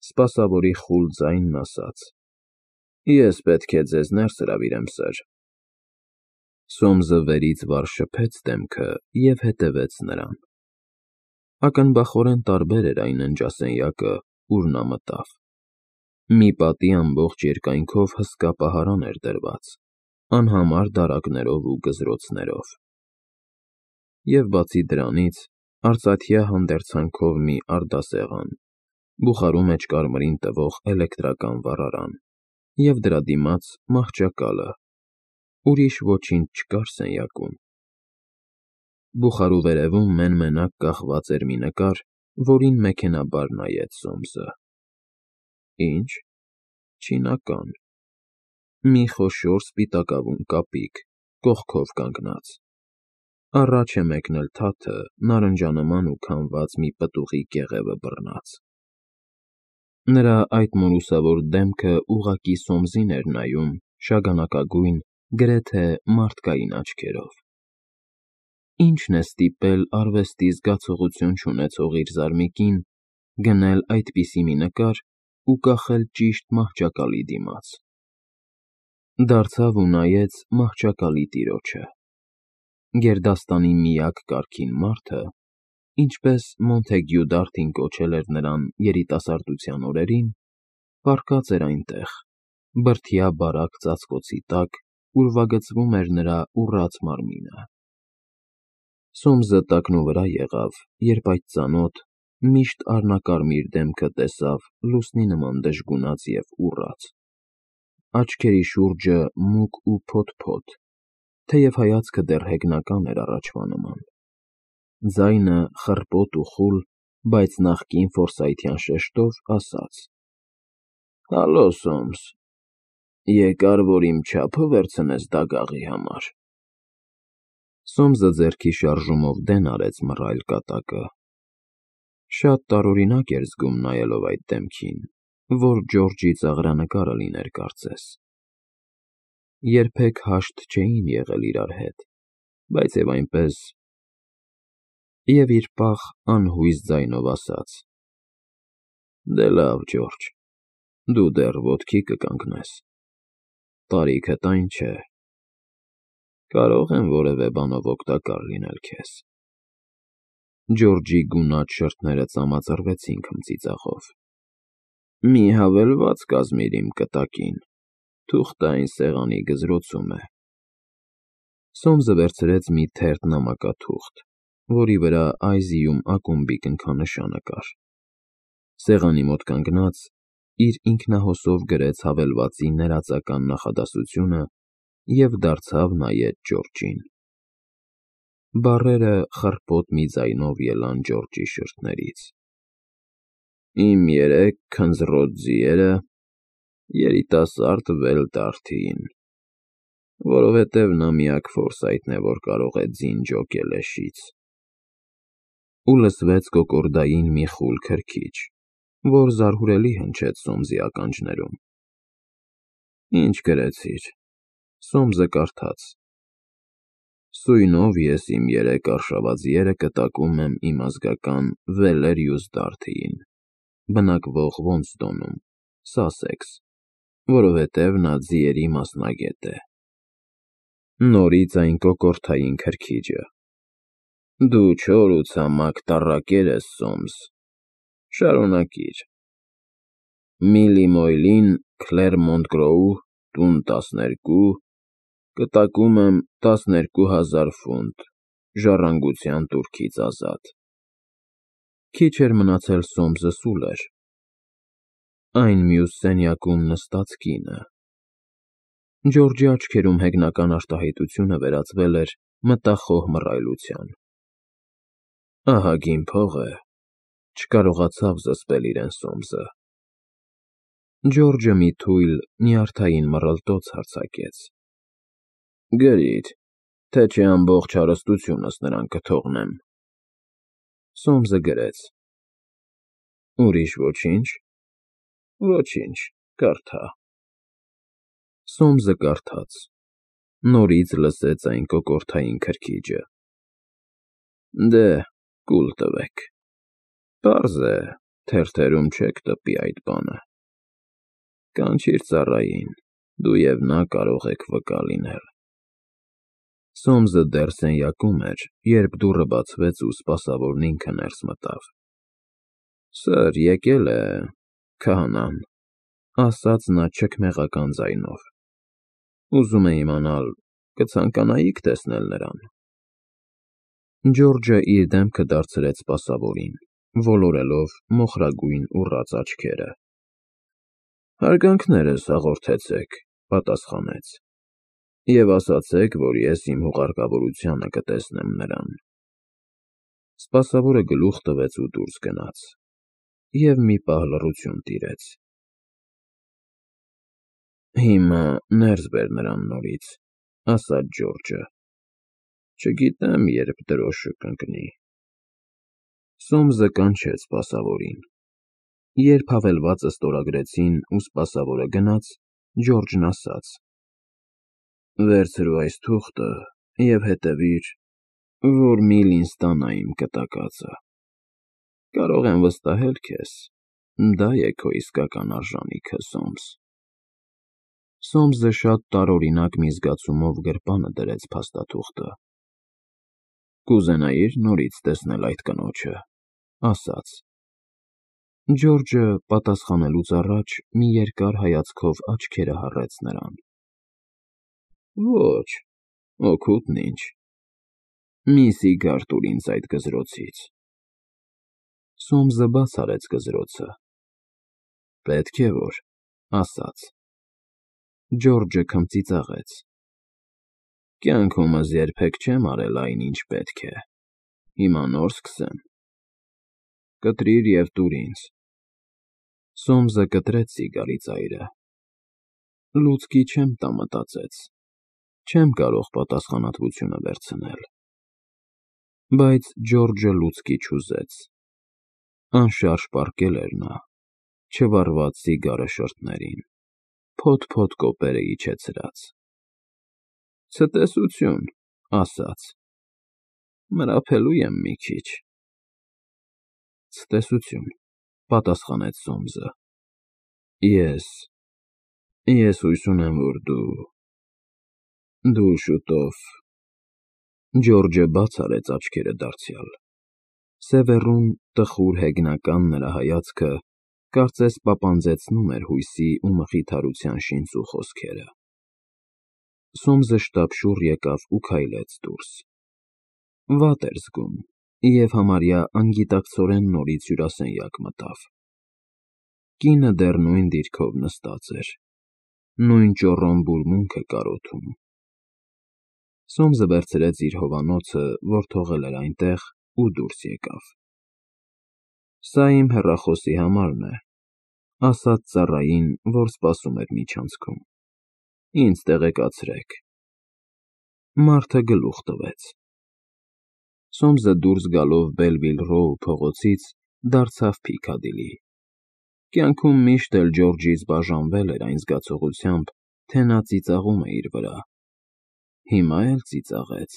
Սպասավորի խուլ ձայնն ասաց. Ես պետք է ձեզ ներս հրավիրեմ, սըր։ Սոմսը վերից վար շփեց դեմքը և հետևեց նրան։ Ակնբախորեն տարբեր էր այն ննջասենյակը, ուր նա մտավ։ Մի պատի ամբողջ երկայնքով հսկա պահարան էր դրված, անհամար դարակներով ու գզրոցներով։ Եվ բացի դրանից, արծաթյա հանդերձանքով մի արդասեղան, բուխարու մեջ կարմիրին տվող էլեկտրական վառարան և դրա դիմաց մահճակալը, ուրիշ ոչինչ չկար սենյակում։ Բուխարու վերևում մեն֊մենակ կախված էր մի նկար, որին մեքենայաբար նայեց Սոմսը։ Ինչ, չինական, մի խոշոր սպիտակավուն կապիկ, կողքով կանգնած, առաջ է մեկնել թաթը, նարնջանման ու քամված մի պտուղի կեղևը բռնած։ Նրա այդ մորուսավոր դեմքը ուղղակի Սոմսին էր նայում շագանակագույն, գրեթե մարդկային աչքերով։ Ի՞նչն է ստիպել արվեստի զգացողություն չունեցող իր զարմիկին գնել այդպիսի մի նկար ու կախել ճիշտ մահճակալի դիմաց։ Դարձավ ու նայեց մահճակալի տիրոջը։ Գերդաստանի միակ կարգին մարդը, ինչպես Մոնթեգյու Դարթին կոչել էր նրան երիտասարդության օրերին, պառկած էր այնտեղ, բրդյա բարակ ծածկոցի տակ, ուրվագծվում էր նրա ուռած մարմինը։ Սոմսը տակնուվրա եղավ, երբ այդ ծանոթ, միշտ առնակարմիր դեմքը տեսավ լուսնի նման դժգունած և ուռած, աչքերի շուրջը մուգ ու փոթ-փոթ, թեև հայացքը դեռ հեգնական էր առաջվա նման։ Ձայնը խռպոտ ու խուլ, բայց նախկին ֆորսայթյան շեշտով ասաց. Հալո, Սոմս, եկար, որ իմ չափը վերցնես դագաղի համար։ Սոմսը ձեռքի շարժումով դեն արեց մռայլ կատակը։ Շատ տարօրինակ էր զգում նայելով այդ դեմքին, որ Ջորջի ծաղրանկարը լիներ կարծես։ Երբեք հաշտ չէին եղել իրար հետ, բայց և այնպես… Եվ իր պաղ, անհույս ձայնով ասաց. Դե լավ, Ջորջ, դու դեռ ոտքի կկանգնես, տարիքդ այն չէ, կարող եմ որևէ բանով օգտակար լինել քեզ։ Ջորջի գունատ շրթները ծամածռվեցին քմծիծաղով։ Մի հավելված կազմիր իմ կտակին, թուղթը այն սեղանի գզրոցում է։ Սոմսը վերցրեց մի թերթ նամակաթուղթ, որի վրա Այզիում ակումբի կնքանշանը կար։ Սեղանի մոտ կանգնած, իր ինքնահոսով գրեց հավելվածի ներածական նախադասությունը և դարձավ նայեց Ջորջին։ Բառերը խռպոտ մի ձայնով ելան Ջորջի շրթներից. Իմ երեք քնձռոտ ձիերը երիտասարդ Վել Դարթիին, որովհետև նա միակ Ֆորսայթն է, որ կարող է ձին ջոկել էշից։ Ու լսվեց կոկորդային մի խուլ քրքիջ, որ զարհուրելի հնչեց Սոմսի ականջներում։ Ինչ գրեցիր։ Սոմսը կարդաց. Սույնով ես իմ երեք արշավաձիերը կտակում եմ իմ ազգական Վելերիուս Դարթիին, բնակվող Ոունստոնում, Սասեքս, որովհետև նա ձիերի մասնագետ է։ Նորից այն կոկորդային քրքիջը. Դու չոր ու ցամաք տառակեր ես, Սոմս, շարունակիր։ Միլի Մոյլին, Քլերմոնտ֊Գրոու, տուն 12, կտակում եմ 12,000 ֆունտ, ժառանգության տուրքից ազատ։ Քիչ էր մնացել Սոմսը սուլեր։ Այն մյուս սենյակում նստած կինը… Ջորջի աչքերում հեգնական արտահայտությունը վերածվել էր մտախոհ մռայլության։ Ահագին փող է, չկարողացավ զսպել իրեն Սոմսը։ Ջորջը մի թույլ, նյարդային մռլտոց արձակեց. Գրիր, թե չէ ամբողջ հարստությունս նրան կթողնեմ։ Սոմսը գրեց. Ուրիշ ոչինչ։ Ոչինչ, կարդա։ Սոմսը կարդաց, նորից լսեց այն կոկորդային քրքիջը։ Դե, կուլ տվեք։ Պարզ է, Թերթերում չեք տպի այդ բանը։ Կանչիր ծառային, դու և նա կարող եք վկա լինել։ Սոմսը դեռ սենյակում էր, երբ դուռը բացվեց ու սպասավորն ինքը ներս մտավ։ Սըր, եկել է քահանան, ասաց նա չքմեղական ձայնով։ Ուզում է իմանալ, կցանկանայիք տեսնել նրան։ Ջորջը իր դեմքը դարձրեց սպասավորին, ոլորելով մոխրագույն ուռած աչքերը։ Հարգանքներս հաղորդեցեք, պատասխանեց, և ասացեք, որ ես իմ հուղարկավորությանը կտեսնեմ նրան։ Սպասավորը գլուխ տվեց ու դուրս գնաց, և մի պահ լռություն տիրեց։ Հիմա ներս բեր նրան նորից, ասաց Ջորջը, չգիտեմ, երբ դրոշը կընկնի։ Սոմսը կանչեց սպասավորին։ Երբ հավելվածը ստորագրեցին ու սպասավորը գնաց, Ջորջն ասաց. Վերցրու այս թուղթը և հետևիր, որ Միլին ստանա իմ կտակածը։ Կարող եմ վստահել քեզ, դա է քո իսկական արժանիքը, Սոմս։ Սոմսը շատ տարօրինակ մի զգացումով գրպանը դրեց փաստաթուղթը։ Կուզենայի՞ր նորից տեսնել այդ կնոջը, ասաց։ Ջորջը պատասխանելուց առաջ մի երկար հայացքով աչքերը հառեց նրան։ Ոչ, օգուտն ինչ։ Մի սիգար տուր ինձ այդ գզրոցից։ Սոմսը բաց արեց գզրոցը։ Պետք է որ, ասաց։ Ջորջը քմծիծաղեց։ Կյանքումս երբեք չեմ արել այն, ինչ պետք է։ Հիմա նոր սկսեմ։ Կտրիր և տուր ինձ։ Սոմսը կտրեց սիգարի ծայրը։ Լուցկի չեմ տա, մտածեց, չեմ կարող պատասխանատվությունը վերցնել։ Բայց Ջորջը լուցկի չուզեց։ Անշարժ պառկել էր նա, չվառված սիգարը շրթներին, փոթ-փոթ կոպերը իջեցրած։ Ցտեսություն, ասաց, մրափելու եմ մի քիչ։ Ցտեսություն, պատասխանեց Սոմսը։ Ես հույս ունեմ, որ դու շուտով… Ջորջը բաց արեց աչքերը դարձյալ։ Սևեռուն, տխուր հեգնական նրա հայացքը կարծես պապանձեցնում էր հույսի ու մխիթարության շինծու խոսքերը։ Սոմսը շտապշուռ եկավ ու քայլեց դուրս։ Վատ էր զգում և համարյա անգիտակցորեն նորից հյուրասենյակ մտավ։ Կինը դեռ նույն դիրքով նստած էր, նույն ճոռոմ բուրմունքը կարոթում։ Սոմսը վերցրեց իր հովանոցը, որ թողել էր այնտեղ, ու դուրս եկավ։ Սա իմ հեռախոսի համարն է, ասաց ծառային, որ սպասում էր միջանցքում։ Ինձ տեղեկացրեք։ Մարդը գլուխ տվեց։ Սոմսը դուրս գալով Բելվիլ Ռոու փողոցից դարձավ Փիքադիլի։ Կյանքում միշտ էլ Ջորջից բաժանվել էր այն զգացողությամբ, թե նա ծիծաղում է իր վրա։ Հիմա էլ ծիծաղեց։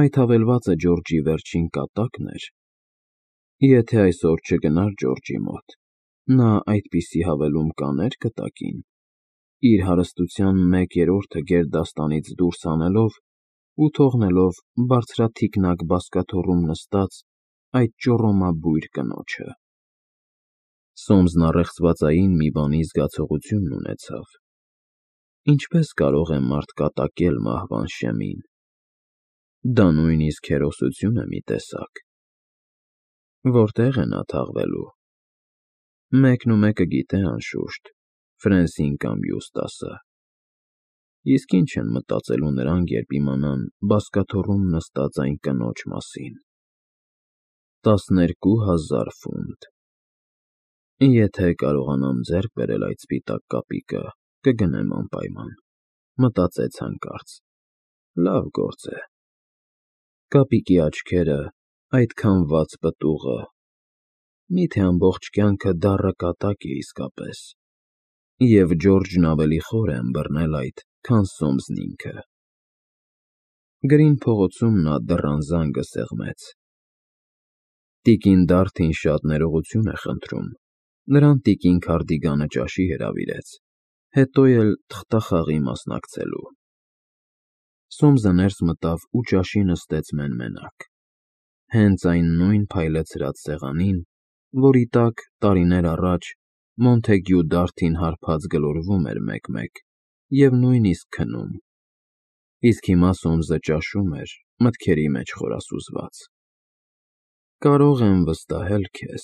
Այդ հավելվածը Ջորջի վերջին կատակն էր։ Եթե այսօր չգնար Ջորջի մոտ, նա այդպիսի հավելում կաներ կտակին, իր հարստության 1/3-ը գերդաստանից դուրս հանելով ու թողնելով բարձրաթիկնակ բազկաթոռում նստած այդ ճոռոմաբույր կնոջը։ Սոմսն առեղծվածային մի բանի զգացողություն ունեցավ։ Ինչպես կարող է մարդ կատակել մահվան շեմին։ Դա նույնիսկ հերոսություն է մի տեսակ։ Որտե՞ղ է նա թաղվելու։ Մեկը գիտե, անշուշտ, Ֆրենսին կամ Յուստասը։ Իսկ ինչ են մտածելու նրանք, երբ իմանան բազկաթոռում նստած այն կնոջ մասին։ 12,000 ֆունտ։ Եթե կարողանամ ձեռք բերել այդ սպիտակ կապիկը, կգնեմ անպայման, մտածեց հանկարծ։ Լավ գործ է։ Կապիկի աչքերը, այդքան վաց պտուղը… Միթե ամբողջ կյանքը դառը կատակ է իսկապես։ Եվ Ջորջն ավելի խոր է ըմբռնել այդ, քան Սոմսն ինքը։ Գրին փողոցում նա դռան զանգը սեղմեց։ Տիկին Դարթին շատ ներողություն է խնդրում, նրան տիկին Քարդիգանը ճաշի հրավիրեց, հետո էլ թղթախաղի մասնակցելու։ Սոմսը ներս մտավ ու ճաշի նստեց մեն֊մենակ, հենց այն նույն փայլեցրած սեղանին, որի տակ տարիներ առաջ Մոնթեգյու Դարթին հարբած գլորվում էր մեկ-մեկ և նույնիսկ քնում, իսկ հիմա Սոմսը ճաշում էր, մտքերի մեջ խորասուզված։ Կարող եմ վստահել քեզ,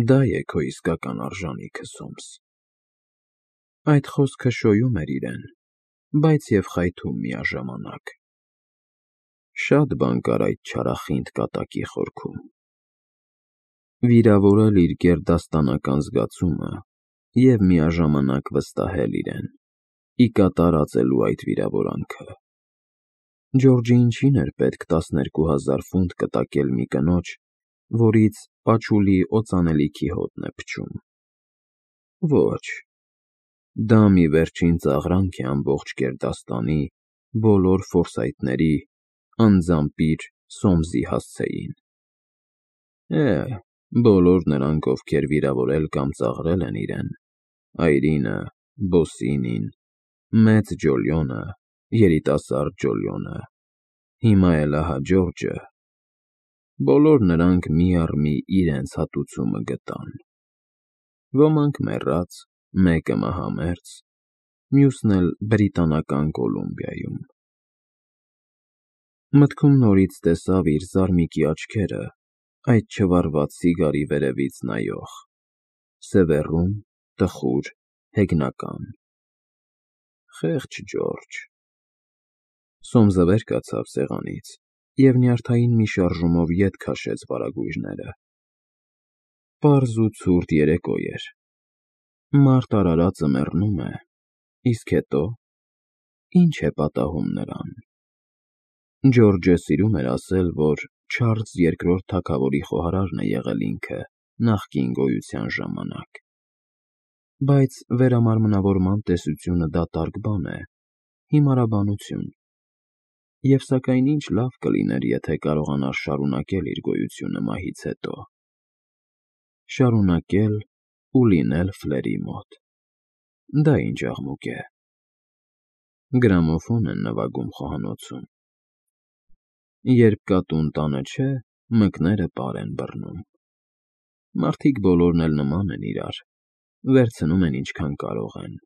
դա է քո իսկական արժանիքը, Սոմս։ Այդ խոսքը շոյում էր իրեն, բայց և խայթում միաժամանակ։ Շատ բան կար այդ չարախինդ կատակի խորքում։ Վիրավորել իր գերդաստանական զգացումը և միաժամանակ վստահել իրեն, ի կատար ածելու այդ վիրավորանքը։ Ջորջը ինչին էր պետք 12,000 ֆունտ կտակել մի կնոջ, որից պաչուլի օծանելիքի հոտն է փչում։ Ոչ, դա մի վերջին ծաղրանք է ամբողջ գերդաստանի, բոլոր Ֆորսայթների, անձամբ իր Սոմսի հասցեին։ Բոլոր նրանք, ովքեր վիրավորել կամ ծաղրել են իրեն, Այրինը, Բոսինին, մեծ Ջոլիոնը, երիտասարդ Ջոլիոնը, հիմա էլ ահա Ջորջը, բոլոր նրանք մի առ մի իրենց հատուցումը գտան։ Ոմանք մեռած, մեկը մահամերձ, մյուսն էլ Բրիտանական Կոլումբիայում։ Մտքում նորից տեսավ իր զարմիկի աչքերը, այդ չվառված սիգարի վերևից նայող, սևեռուն, տխուր, հեգնական։ Խեղճ Ջորջ։ Սոմսը վեր կացավ սեղանից և նյարդային մի շարժումով ետ քաշեց վարագույրները։ Պարզ ու ցուրտ երեկո էր։ Մարդ արարածը մեռնում է, իսկ հետո ի՞նչ է պատահում նրան։ Ջորջը սիրում էր ասել, որ Չարլզ II թագավորի խոհարարն է եղել ինքը նախկին գոյության ժամանակ, բայց վերամարմնավորման տեսությունը դատարկ բան է, հիմարաբանություն, և սակայն ինչ լավ կլիներ, եթե կարողանար շարունակել իր գոյությունը մահից հետո։ Շարունակել ու լինել Ֆլերի մոտ։ Դա ինչ աղմուկ է։ Գրամոֆոն են նվագում խոհանոցում։ Երբ կատուն տանը չէ, մկները պար են բռնում։ Մարդիկ բոլորն էլ նման են իրար, վերցնում են ինչքան կարող են,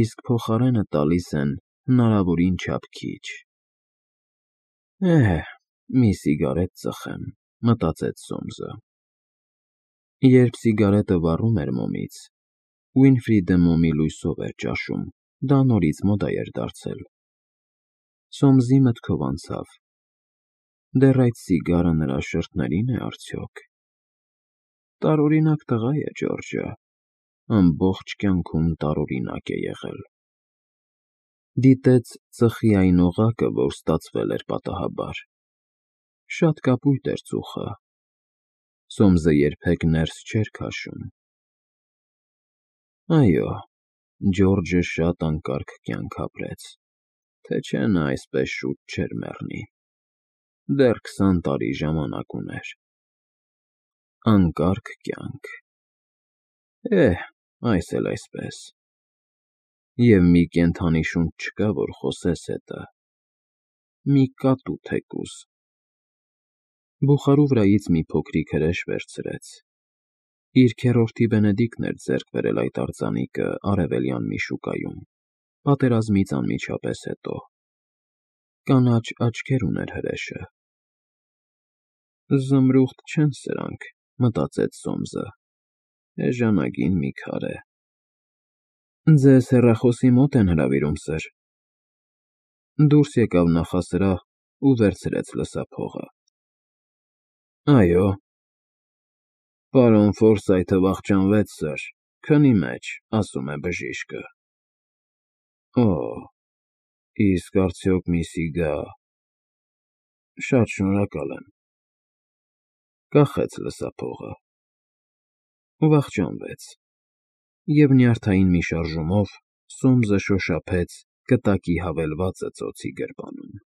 իսկ փոխարենը տալիս են հնարավորին չափ քիչ։ Մի սիգարետ ծխեմ, մտածեց Սոմսը։ Երբ սիգարետը վառում էր մոմից, Ուինֆրիդը մոմի լույսով էր ճաշում, դա նորից մոդա էր դարձել։ Սոմսի մտքով անցավ. դեռ այդ սիգարը նրա շրթների՞ն է արդյոք։ Տարօրինակ տղա է Ջորջը, ամբողջ կյանքում տարօրինակ է եղել։ Դիտեց ծխի այն օղակը, որ ստացվել էր պատահաբար։ Շատ կապույտ էր ծուխը։ Սոմսը երբեք ներս չէր քաշում։ Այո, Ջորջը շատ անկարգ կյանք ապրեց, թե չէ նա այսպես շուտ չէր մեռնի։ Դեռ 20 տարի ժամանակ ուներ։ Անկարգ կյանք։ Այս էլ այսպես։ Եվ մի կենդանի շունչ չկա, որ խոսես հետը։ Մի կատու թեկուզ։ Բուխարու վրայից մի փոքրիկ հրեշ վերցրեց։ Իր քեռորդի Բենեդիկտն էր ձեռք բերել այդ արձանիկը արևելյան մի շուկայում, պատերազմից անմիջապես հետո։ Կանաչ աչքեր ուներ հրեշը։ Զմրուխտ չեն սրանք, մտածեց Սոմսը, էժանագին մի քար է։ Ձեզ հեռախոսի մոտ են հրավիրում, սըր։ Դուրս եկավ նախասրահ ու վերցրեց լսափողը։ Այո։ Պարոն Ֆորսայթը վախճանվեց, սըր, քնի մեջ, ասում է բժիշկը։ Իսկ արդյոք մի սիգա… Շատ շնորհակալ եմ։ Կախեց լսափողը։ Վախճանվեց։ Եվ նյարդային մի շարժումով Սոմսը շոշափեց կտակի հավելվածը ծոցի գրպանում։